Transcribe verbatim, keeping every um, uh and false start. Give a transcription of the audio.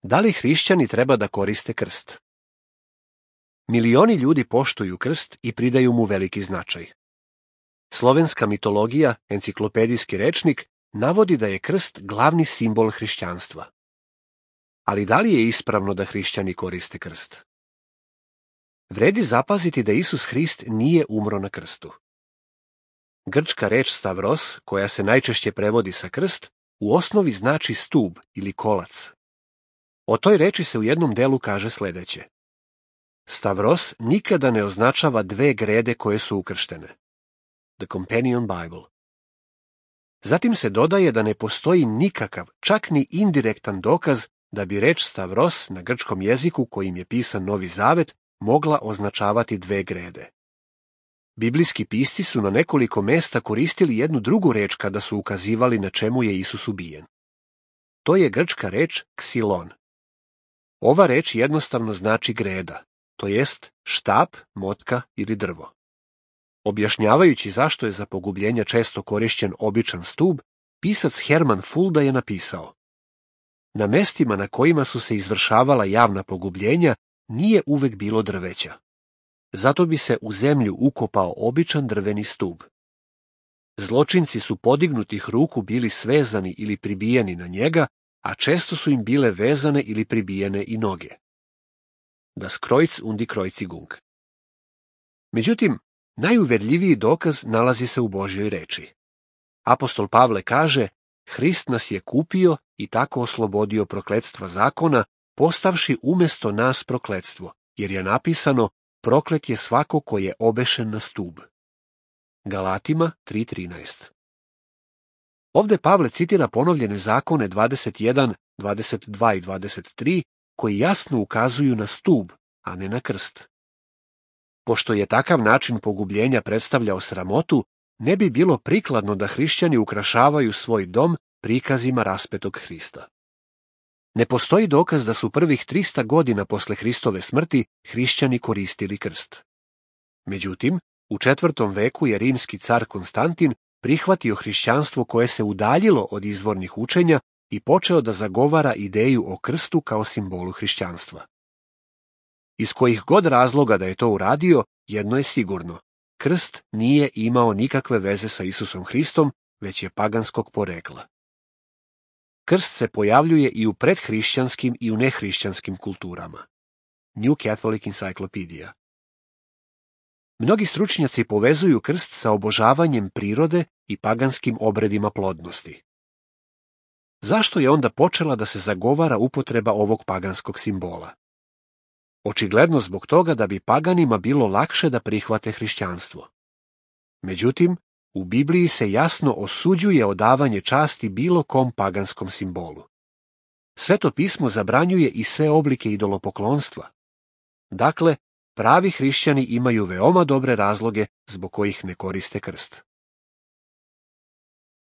Da li hrišćani treba da koriste krst? Milioni ljudi poštuju krst i pridaju mu veliki značaj. Slovenska mitologija, enciklopedijski rečnik, navodi da je krst glavni simbol hrišćanstva. Ali da li je ispravno da hrišćani koriste krst? Vredi zapaziti da Isus Hrist nije umro na krstu. Grčka reč stavros, koja se najčešće prevodi sa krst, u osnovi znači stub ili kolac. O toj reči se u jednom delu kaže sledeće. Stavros nikada ne označava dve grede koje su ukrštene. The Companion Bible. Zatim se dodaje da ne postoji nikakav, čak ni indirektan dokaz da bi reč stavros na grčkom jeziku kojim je pisan Novi Zavet mogla označavati dve grede. Biblijski pisci su na nekoliko mesta koristili jednu drugu reč kada su ukazivali na čemu je Isus ubijen. To je grčka reč ksilon. Ova reč jednostavno znači greda, to jest štap, motka ili drvo. Objašnjavajući zašto je za pogubljenja često korišćen običan stub, pisac Herman Fulda je napisao: na mestima na kojima su se izvršavala javna pogubljenja nije uvek bilo drveća. Zato bi se u zemlju ukopao običan drveni stub. Zločinci su podignutih ruku bili svezani ili pribijeni na njega, a često su im bile vezane ili pribijene i noge. Das Kreuz und die Kreuzigung. Međutim, najuverljiviji dokaz nalazi se u Božjoj reči. Apostol Pavle kaže, Hrist nas je kupio i tako oslobodio prokletstva zakona, postavši umesto nas prokletstvo, jer je napisano, proklet je svako ko je obešen na stub. Galatima tri trinaest. Ovde Pavle citira ponovljene zakone dvadeset jedan, dvadeset dva i dvadeset tri, koji jasno ukazuju na stub, a ne na krst. Pošto je takav način pogubljenja predstavljao sramotu, ne bi bilo prikladno da hrišćani ukrašavaju svoj dom prikazima raspetog Hrista. Ne postoji dokaz da su prvih trista godina posle Hristove smrti hrišćani koristili krst. Međutim, u četvrtom veku je rimski car Konstantin prihvatio hrišćanstvo koje se udaljilo od izvornih učenja i počeo da zagovara ideju o krstu kao simbolu hrišćanstva. Iz kojih god razloga da je to uradio, jedno je sigurno. Krst nije imao nikakve veze sa Isusom Hristom, već je paganskog porekla. Krst se pojavljuje i u predhrišćanskim i u nehrišćanskim kulturama. New Catholic Encyclopedia. Mnogi stručnjaci povezuju krst sa obožavanjem prirode i paganskim obredima plodnosti. Zašto je onda počela da se zagovara upotreba ovog paganskog simbola? Očigledno zbog toga da bi paganima bilo lakše da prihvate hrišćanstvo. Međutim, u Bibliji se jasno osuđuje odavanje časti bilo kom paganskom simbolu. Sveto pismo zabranjuje i sve oblike idolopoklonstva. Dakle, pravi hrišćani imaju veoma dobre razloge zbog kojih ne koriste krst.